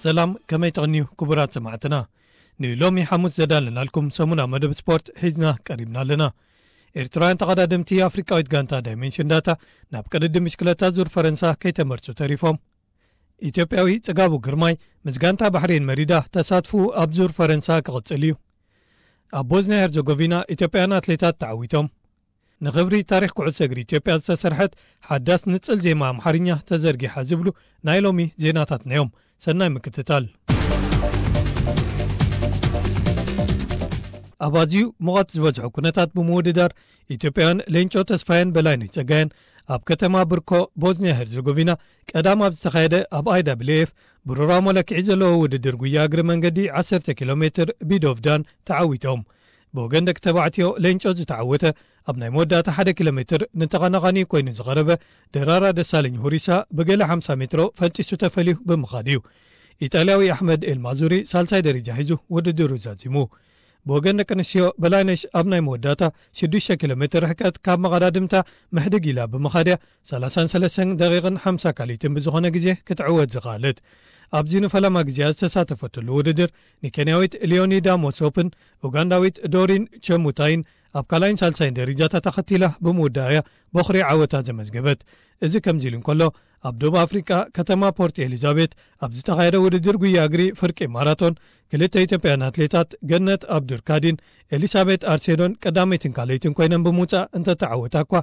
ሰላም፣ ከመይ ትቕንዩ ክቡራት ሰማዕትና? ንሎሚ ሓሙስ ዘዳለናልኩም ሰሙና መደብ ስፖርት ሒዝና ቀሪብና ኣለና። ኤርትራውያን ተቐዳደምቲ ኣፍሪቃዊት ጋንታ ዳይመንሽን ዳታ ናብ ቅድድም ብሽክለታ ዙር ፈረንሳ ከይተመርጹ ተሪፎም። ኢትዮጵያዊ ጽጋቡ ግርማይ ምስ ጋንታ ባሕሬን መሪዳ ተሳትፉ ኣብ ዙር ፈረንሳ ክቕጽል እዩ። ኣብ ቦዝንያ ሄርዘጎቪና ኢትዮጵያውያን ኣትሌታት ተዓዊቶም። ንኽብሪ ታሪኽ ኩዕሶ እግሪ ኢትዮጵያ ዝተሰርሐት ሓዳስ ንጽል ዜማ ኣምሓርኛ ተዘርጊሓ ዝብሉ ናይ ሎሚ ዜናታትና እዮም። ሰናይ ምክትታል። ኣብ ኣዝዩ ሙቐት ዝበዝሖ ኩነታት ብምውድዳር ኢትዮጵያውያን ሌንጮ ተስፋየን በላይነሽ ጸጋየን ኣብ ከተማ ብርኮ ቦዝንያ ሄርዘጎቪና ቀዳም ኣብ ዝተኻየደ ኣብ ኣይ ዳብልዩ ኤፍ ብሩራዊ መለክዒ ዘለዎ ውድድር ጉያ እግሪ መንገዲ ዓሰርተ ኪሎ ሜትር ቢዶቭዳን ተዓዊቶም። ብወገን ደቂ ተባዕትዮ ሌንጮ ዝተዓወተ ኣብ ናይ መወዳእታ ሓደ ኪሎ ሜትር ንተቐናቓኒ ኮይኑ ዝቐረበ ደራራ ደሳለኝ ሁሪሳ ብገለ ሓምሳ ሜትሮ ፈንጢሱ ተፈልዩ ብምኻድ እዩ። ኢጣልያዊ ኣሕመድ ኤልማዙሪ ሳልሳይ ደረጃ ሒዙ ውድድሩ ዛዚሙ። ብወገን ደቂ ኣንስትዮ በላይነሽ ኣብ ናይ መወዳእታ ሽዱሽተ ኪሎ ሜትር ርሕቀት ካብ መቐዳድምታ ምሕድግ ኢላ ብምኻድያ ሰላሳን ሰለስተን ደቂቕን ሓምሳ ካልኢትን ብዝኾነ ግዜ ክትዕወት ዝኸኣለት። ኣብዚ ንፈለማ ግዜኣ ዝተሳተፈትሉ ውድድር ንኬንያዊት ሊዮኒዳ ሞሶፕን ኡጋንዳዊት ዶሪን ቸሙታይን ኣብ ካልኣይን ሳልሳይን ደረጃታት ተኸቲላ ብምውዳእያ ቦኽሪ ዓወታ ዘመዝገበት። እዚ ከምዚ ኢሉ እንከሎ፣ ኣብ ደቡብ ኣፍሪቃ ከተማ ፖርት ኤሊዛቤት ኣብ ዝተኻየደ ውድድር ጉያ እግሪ ፍርቂ ማራቶን ክልተ ኢትዮጵያውያን ኣትሌታት ገነት ኣብዱርካዲን ኤሊሳቤት ኣርሴዶን ቀዳመይትን ካልኣይትን ኮይነን ብምውጻእ እንተተዓወታ እኳ፣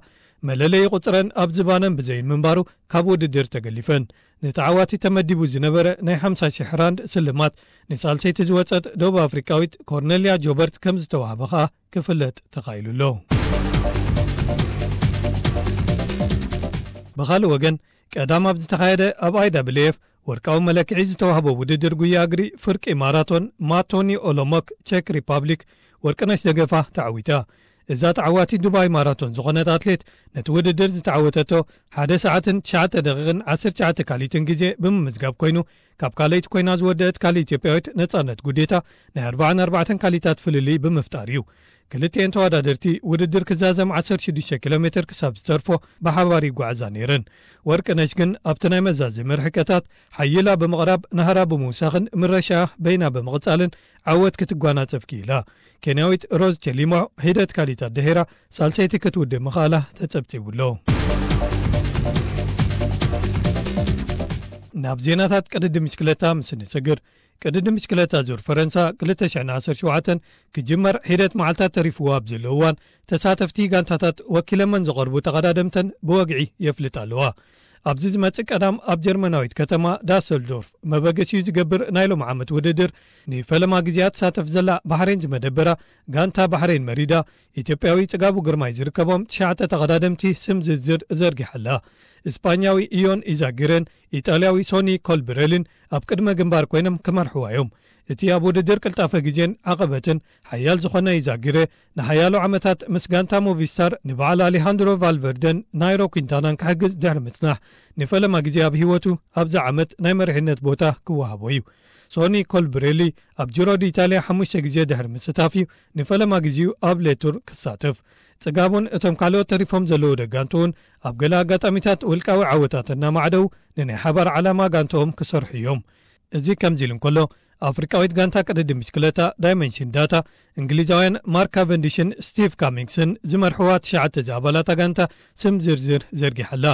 መለለዪ ቁጽረን ኣብ ዝባነን ብዘይን ምንባሩ ካብ ውድድር ተገሊፈን። ንተዓዋቲ ተመዲቡ ዝነበረ ናይ ሓምሳ ሺሕ ራንድ ስልማት ንሳልሰይቲ ዝወጸት ደቡብ ኣፍሪቃዊት ኮርነልያ ጆበርት ከም ዝተዋህበ ከኣ ክፍለጥ ተኻኢሉ ኣሎ። ብኻልእ ወገን፣ ቀዳም ኣብ ዝተኻየደ ኣብ ኣይ ዳብልዩ ኤፍ ወርቃዊ መለክዒ ዝተዋህቦ ውድድር ጉያ እግሪ ፍርቂ ማራቶን ማቶኒ ኦሎሞክ ቼክ ሪፓብሊክ ወርቅነሽ ደገፋ ተዓዊታ። እዛ ተዓዋቲ ዱባይ ማራቶን ዝኾነት ኣትሌት ነቲ ውድድር ዝተዓወተቶ ሓደ ሰዓትን ትሽዓተ ደቂቕን ዓሰርተ ትሽዓተ ካልኢትን ግዜ ብምምዝጋብ ኮይኑ፣ ካብ ካልኣይቲ ኮይና ዝወደአት ካልእ ኢትዮጵያዊት ነጻነት ጉዴታ ናይ ኣርባዓን ኣርባዕተን ካልኢታት ፍልልይ ብምፍጣር እዩ። ክልቲኤን ተወዳደርቲ ውድድር ክዛዘም ዓሰርተ ሽዱሽተ ኪሎ ሜትር ክሳብ ዝተርፎ ብሓባር ይጓዓዛ ነይረን። ወርቅነሽ ግን ኣብቲ ናይ መዛዘሚ ርሕቀታት ሓይላ ብምቕራብ ናህራ ብምውሳኽን ምረሻ በይና ብምቕጻልን ዓወት ክትጓናጸፍ ክኢላ። ኬንያዊት ሮዝ ቸሊሞ ሒደት ካልኢታት ድሒራ ሳልሰይቲ ክትውድእ ምኽኣላ ተጸብጺቡ ኣሎ። ናብ ዜናታት ቅድድም ብሽክለታ ምስ እንሰግር፣ ቅድድም ብሽክለታ ዙር ፈረንሳ ክልተ ሽሕን ዓሰርተ ሸውዓተን ክጅመር ሒደት መዓልታት ተሪፍዎ ኣብ ዘሎ እዋን፣ ተሳተፍቲ ጋንታታት ወኪለመን ዝቐርቡ ተቐዳደምተን ብወግዒ የፍልጣ ኣለዋ። ኣብዚ ዝመጽእ ቀዳም ኣብ ጀርመናዊት ከተማ ዳሰልዶርፍ መበገሲኡ ዝገብር ናይ ሎም ዓመት ውድድር ንፈለማ ግዜኣ ትሳተፍ ዘላ ባሕሬን ዝመደበራ ጋንታ ባሕሬን መሪዳ፣ ኢትዮጵያዊ ጽጋቡ ግርማይ ዝርከቦም ትሽዓተ ተቐዳደምቲ ስም ዝርዝር ዘርጊሓ ኣላ። እስጳኛዊ ኢዮን ኢዛጊረን ኢጣልያዊ ሶኒ ኮልብሬልን ኣብ ቅድመ ግንባር ኮይኖም ክመርሕዋ እዮም። እቲ ኣብ ውድድር ቅልጣፈ ግዜን ዓቐበትን ሓያል ዝኾነ ኢዛጊረ፣ ንሓያሎ ዓመታት ምስ ጋንታ ሞቪስታር ንበዓል ኣሌሃንድሮ ቫልቨርደን ናይሮ ኲንታናን ክሕግዝ ድሕሪ ምጽናሕ፣ ንፈለማ ግዜ ኣብ ህይወቱ ኣብዚ ዓመት ናይ መሪሕነት ቦታ ክወሃቦ እዩ። ሶኒ ኮልብሬሊ ኣብ ጂሮ ዲኢታልያ ሓሙሽተ ግዜ ድሕሪ ምስታፍ እዩ ንፈለማ ግዜኡ ኣብ ሌቱር ክሳተፍ። ጽጋቡን እቶም ካልኦት ተሪፎም ዘለዉ ደጋንቱ እውን ኣብ ገለ ኣጋጣሚታት ውልቃዊ ዓወታት እናማዕደው ንናይ ሓባር ዓላማ ጋንትኦም ክሰርሑ እዮም። እዚ ከምዚ ኢሉ እንከሎ፣ ኣፍሪቃዊት ጋንታ ቅድድም ብሽክለታ ዳይመንሽን ዳታ፣ እንግሊዛውያን ማርክ ካቨንዲሽን ስቲቭ ካሚንግስን ዝመርሕዋ ትሽዓተ ዝኣባላታ ጋንታ ስም ዝርዝር ዘርጊሓ ኣላ።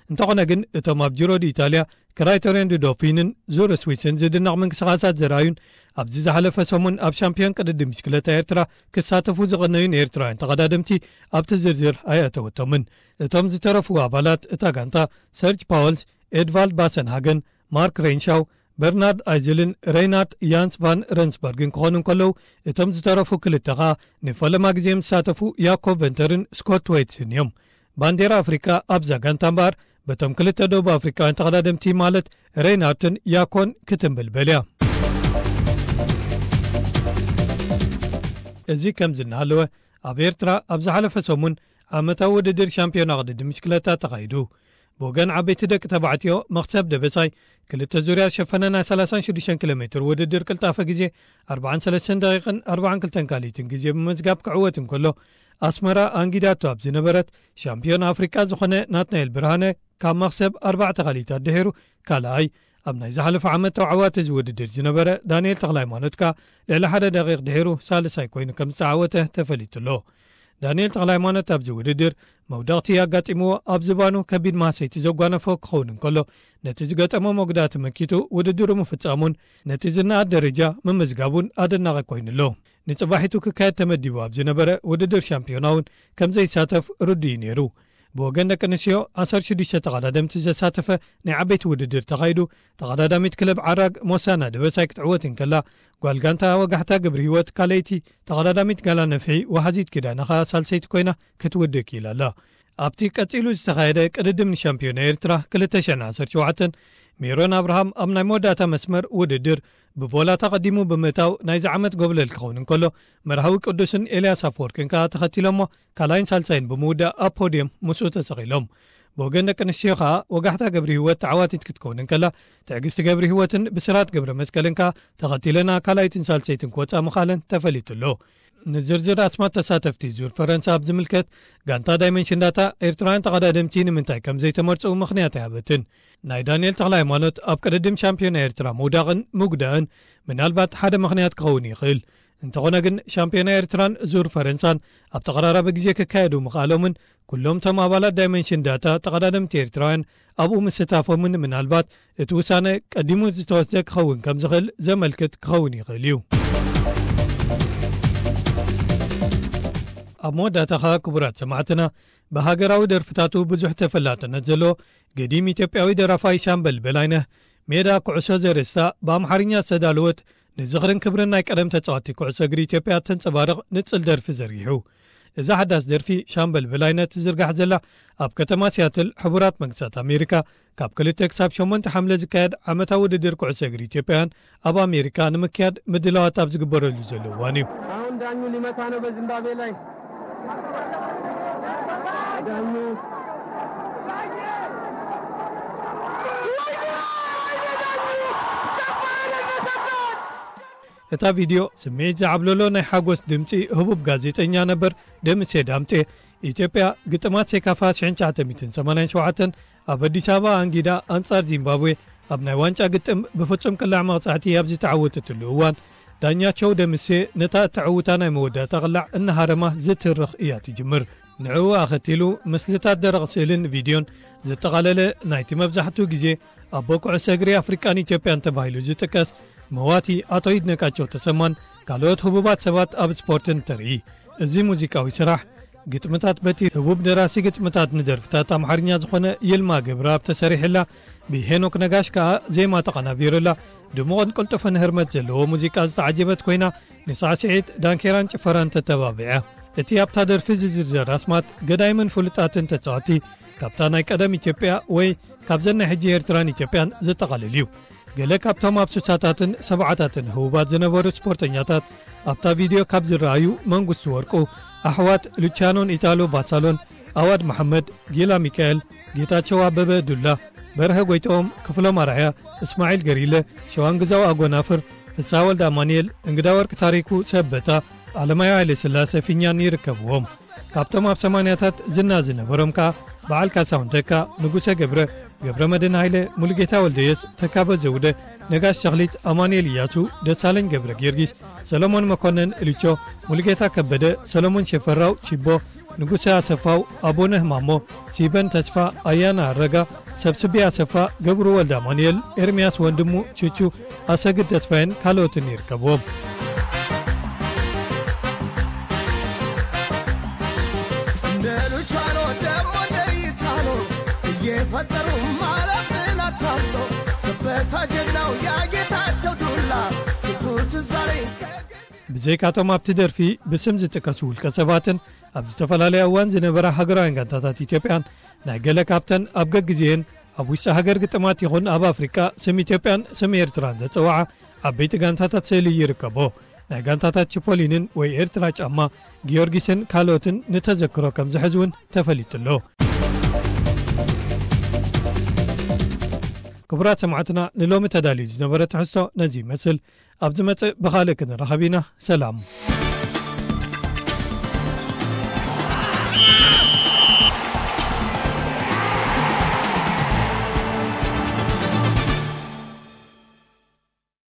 እንተኾነ ግን፣ እቶም ኣብ ጂሮ ዲኢታልያ፣ ክራይተሪዮን ዱዶፊንን ዙር ስዊስን ዝድነቕ ምንቅስቓሳት ዘርኣዩን ኣብዚ ዝሓለፈ ሰሙን ኣብ ሻምፒዮን ቅድድም ብሽክለታ ኤርትራ ክሳተፉ ዝቐነዩን ኤርትራውያን ተቐዳደምቲ ኣብቲ ዝርዝር ኣየእተወቶምን። እቶም ዝተረፉ ኣባላት እታ ጋንታ ሰርጅ ፓወልስ፣ ኤድቫልድ ባሰንሃገን፣ ማርክ ሬንሻው፣ በርናርድ ኣይዝልን ሬይናርድ ያንስ ቫን ረንስበርግን ክኾኑ እንከለዉ፣ እቶም ዝተረፉ ክልተ ኸኣ ንፈለማ ግዜ ምስ ዝሳተፉ ያኮብ ቨንተርን ስኮት ዌትስን እዮም። ባንዴራ ኣፍሪቃ ኣብዛ ጋንታ እምበኣር በቶም ክልተ ደቡብ ኣፍሪቃውያን ተቐዳደምቲ ማለት ሬይናርትን ያኮን ክትምብልበል እያ። እዚ ከምዚ እናሃለወ፣ ኣብ ኤርትራ ኣብ ዝሓለፈ ሰሙን ዓመታዊ ውድድር ሻምፒዮና ቅድድም ብሽክለታ ተኻይዱ። ብወገን ዓበይቲ ደቂ ተባዕትዮ፣ መኽሰብ ደበሳይ ክልተ ዙርያ ዝሸፈነ ናይ ሰላሳን ሽዱሽተን ኪሎ ሜትር ውድድር ቅልጣፈ ግዜ ኣርባዓን ሰለስተን ደቂቕን ኣርባዓን ክልተን ካልኢትን ግዜ ብምምዝጋብ ክዕወት እንከሎ፣ ኣስመራ ኣንጊዳቶ ኣብ ዝነበረት ሻምፒዮን ኣፍሪቃ ዝኾነ ናትናኤል ብርሃነ ካብ መኽሰብ ኣርባዕተ ካልኢታት ድሒሩ ካልኣይ፣ ኣብ ናይ ዝሓለፈ ዓመት ተዓዋቲ እዚ ውድድር ዝነበረ ዳንኤል ተኽለሃይማኖት ከኣ ልዕሊ ሓደ ደቂቕ ድሒሩ ሳልሳይ ኮይኑ ከም ዝተዓወተ ተፈሊጡ ኣሎ። ዳንኤል ተኽለሃይማኖት ኣብዚ ውድድር መውደቕቲ ኣጋጢምዎ ኣብ ዝባኑ ከቢድ ማህሰይቲ ዘጓነፎ ክኸውን እንከሎ፣ ነቲ ዝገጠሞ መጉዳእቲ መኪቱ ውድድሩ ምፍጻሙን ነቲ ዝነኣድ ደረጃ ምምዝጋቡን ኣደናቒ ኮይኑ ኣሎ። ንጽባሒቱ ክካየድ ተመዲቡ ኣብ ዝነበረ ውድድር ሻምፒዮና እውን ከም ዘይሳተፍ ርዱእ እዩ ነይሩ። ብወገን ደቂ ኣንስትዮ ዓሰርተ ሽዱሽተ ተቐዳደምቲ ዘሳተፈ ናይ ዓበይቲ ውድድር ተኻይዱ፣ ተቐዳዳሚት ክለብ ዓራግ ሞሳና ደበሳይ ክትዕወት እንከላ፣ ጓል ጋንታ ወጋሕታ ግብሪ ህይወት ካልኣይቲ፣ ተቐዳዳሚት ጋላ ነፍሒ ወሓዚት ኪዳነ ኸኣ ሳልሰይቲ ኮይና ክትውድእ ክኢላ ኣላ። ኣብቲ ቀጺሉ ዝተኻየደ ቅድድም ንሻምፒዮና ኤርትራ ክልተ ሽሕን ዓሰርተ ሸውዓተን፣ ሜሮን ኣብርሃም ኣብ ናይ መወዳእታ መስመር ውድድር ብቮላ ተቐዲሙ ብምእታው ናይዚ ዓመት ጎብለል ክኸውን እንከሎ፣ መርሃዊ ቅዱስን ኤልያስ ኣፈወርቅን ከኣ ተኸቲሎሞ ካልኣይን ሳልሳይን ብምውዳእ ኣብ ፖድየም ምስኡ ተሰቒሎም። ብወገን ደቂ ኣንስትዮ ከኣ ወጋሕታ ገብሪ ህይወት ተዓዋቲት ክትከውን እንከላ፣ ትዕግስቲ ገብሪ ህይወትን ብስራት ገብረ መስቀልን ከኣ ተኸቲለና ካልኣይትን ሳልሰይትን ክወጻ ምኻለን ተፈሊጡ ኣሎ። ንዝርዝር ኣስማት ተሳተፍቲ ዙር ፈረንሳ ኣብ ዝምልከት፣ ጋንታ ዳይመንሽን ዳታ ኤርትራውያን ተቐዳደምቲ ንምንታይ ከም ዘይተመርጹ ምኽንያት ኣይሃበትን። ናይ ዳንኤል ተኽለ ሃይማኖት ኣብ ቅድድም ሻምፒዮና ኤርትራ ምውዳቕን ምጉዳእን ምናልባት ሓደ ምኽንያት ክኸውን ይኽእል። እንተኾነ ግን ሻምፒዮና ኤርትራን ዙር ፈረንሳን ኣብ ተቐራራቢ ግዜ ክካየዱ ምኽኣሎምን ኩሎም እቶም ኣባላት ዳይመንሽን ዳታ ተቐዳደምቲ ኤርትራውያን ኣብኡ ምስታፎምን ምናልባት እቲ ውሳነ ቀዲሙ ዝተወስደ ክኸውን ከም ዝኽእል ዘመልክት ክኸውን ይኽእል እዩ። ኣብ መወዳእታ ኸኣ ክቡራት ሰማዕትና፣ ብሃገራዊ ደርፍታቱ ብዙሕ ተፈላጥነት ዘለዎ ገዲም ኢትዮጵያዊ ደራፋይ ሻምበል በላይነህ ሜዳ ኩዕሶ ዘርእስታ ብኣምሓርኛ ዝተዳለወት ንዝኽርን ክብርን ናይ ቀደም ተጻዋቲ ኩዕሶ እግሪ ኢትዮጵያ ተንጸባርቕ ንጽል ደርፊ ዘርጊሑ። እዛ ሓዳስ ደርፊ ሻምበል በላይነህ ትዝርጋሕ ዘላ ኣብ ከተማ ሲያትል ሕቡራት መንግስታት ኣሜሪካ ካብ ክልተ ክሳብ ሸሞንተ ሓምለ ዝካየድ ዓመታዊ ውድድር ኩዕሶ እግሪ ኢትዮጵያውያን ኣብ ኣሜሪካ ንምክያድ ምድላዋት ኣብ ዝግበረሉ ዘሎ እዋን እዩ። አሁን ዳኙ ሊመታ ነው በዝምባብዌ ላይ። ዳኙ እታ ቪድዮ ስምዒት ዝዓብለሎ ናይ ሓጎስ ድምጺ ህቡብ ጋዜጠኛ ነበር ደምሴ ዳምጤ፣ ኢትዮጵያ ግጥማት ሴካፋ ሽሕን ትሽዓተ ሚእትን ሰማንያን ሸውዓተን ኣብ ኣዲስ ኣበባ ኣንጊዳ ኣንጻር ዚምባብዌ ኣብ ናይ ዋንጫ ግጥም ብፍጹም ቅላዕ መቕጻዕቲ ኣብ ዝተዓወተትሉ እዋን፣ ዳኛቸው ደምሴ ነታ እተዕውታ ናይ መወዳእታ ቅላዕ እናሃረማ ዝትርኽ እያ ትጅምር። ንዕኡ ኣኸቲሉ ምስልታት ደረቕ ስእልን ቪድዮን ዘጠቓለለ ናይቲ መብዛሕትኡ ግዜ ኣቦ ኩዕሶ እግሪ ኣፍሪቃን ኢትዮጵያን ተባሂሉ ዝጥቀስ መዋቲ ኣቶ ይድነቃቸው ተሰማን ካልኦት ህቡባት ሰባት ኣብ ስፖርትን ተርኢ። እዚ ሙዚቃዊ ስራሕ ግጥምታት በቲ ህቡብ ደራሲ ግጥምታት ንደርፍታት ኣምሓርኛ ዝኾነ ይልማ ገብረኣብ ተሰሪሕላ፣ ብሄኖክ ነጋሽ ከኣ ዜማ ተቐናቢሩላ፣ ድሙቕን ቅልጡፍን ህርመት ዘለዎ ሙዚቃ ዝተዓጀበት ኮይና፣ ንሳዕስዒት፣ ዳንኬራን ጭፈራን ተተባቢዐ። እቲ ኣብታ ደርፊ ዝዝርዘር ኣስማት ገዳይምን ፍሉጣትን ተጻወቲ ካብታ ናይ ቀደም ኢትዮጵያ ወይ ካብዘን ናይ ሕጂ ኤርትራን ኢትዮጵያን ዘጠቓልል እዩ። ገለ ካብቶም ኣብ ስሳታትን ሰብዓታትን ህቡባት ዝነበሩ ስፖርተኛታት ኣብታ ቪድዮ ካብ ዝረኣዩ መንግስቱ ወርቁ፣ ኣሕዋት ሉቻኖን ኢታሎ ቫሳሎን፣ ኣዋድ መሓመድ፣ ጊላ ሚካኤል፣ ጌታቸው ኣበበ ዱላ፣ በርሀ ጎይትኦም፣ ክፍሎም ኣርኣያ፣ እስማዒል ገሪለ፣ ሸዋንግዛው ኣጎናፍር፣ ፍስሃ ወልደ ኣማኑኤል፣ እንግዳ ወርቅ ታሪኩ፣ ሰበታ፣ ኣለማዮ ሃይለ ስላሴ ፊኛን ይርከብዎም። ካብቶም ኣብ ሰማንያታት ዝና ዝነበሮም ከኣ በዓል ካሳሁን ተካ፣ ንጉሰ ገብረ፣ ገብረ መድህን ሃይለ፣ ሙሉጌታ ወልደየስ፣ ተካበ ዘውደ፣ ነጋሽ ተኽሊት፣ ኣማኑኤል እያሱ፣ ደሳለኝ ገብረ ጊዮርጊስ፣ ሰሎሞን መኮነን፣ እልቾ፣ ሙሉጌታ ከበደ፣ ሰሎሞን ሽፈራው፣ ቺቦ፣ ንጉሰ ኣሰፋው፣ ኣቦነህ ማሞ፣ ሲበን ተስፋ፣ ኣያና ኣረጋ፣ ሰብስቤ ኣሰፋ፣ ገብሩ ወልደ ኣማኑኤል፣ ኤርምያስ ወንድሙ፣ ቹቹ፣ ኣሰግድ ተስፋዬን ካልኦትን ይርከብዎም። እንደ ሉቻኖ ደሞ እንደ ኢታሎ እየፈጠሩ ማለፍን አታሎ። ሰበታ ጀግናው ያጌታቸው ዱላ ስንቱ ትዝ አለኝ። ብዘይካቶም ኣብቲ ደርፊ ብስም ዝጥቀሱ ውልቀ ሰባትን ኣብ ዝተፈላለየ እዋን ዝነበራ ሃገራውያን ጋንታታት ኢትዮጵያን ናይ ገለ ካብተን ኣብ ገግዜኤን ኣብ ውሽጢ ሃገር ግጥማት ይኹን ኣብ ኣፍሪቃ ስም ኢትዮጵያን ስም ኤርትራን ዘጸውዓ ዓበይቲ ጋንታታት ስእሊ ይርከቦ። ናይ ጋንታታት ቺፖሊንን ወይ ኤርትራ ጫማ ጊዮርጊስን ካልኦትን ንተዘክሮ ከም ዝሕዝ እውን ተፈሊጡ ኣሎ። ክቡራት ሰማዕትና፣ ንሎሚ ተዳልዩ ዝነበረ ትሕዝቶ ነዚ ይመስል። ኣብ ዝመጽእ ብኻልእ ክንራኸብ ኢና። ሰላም።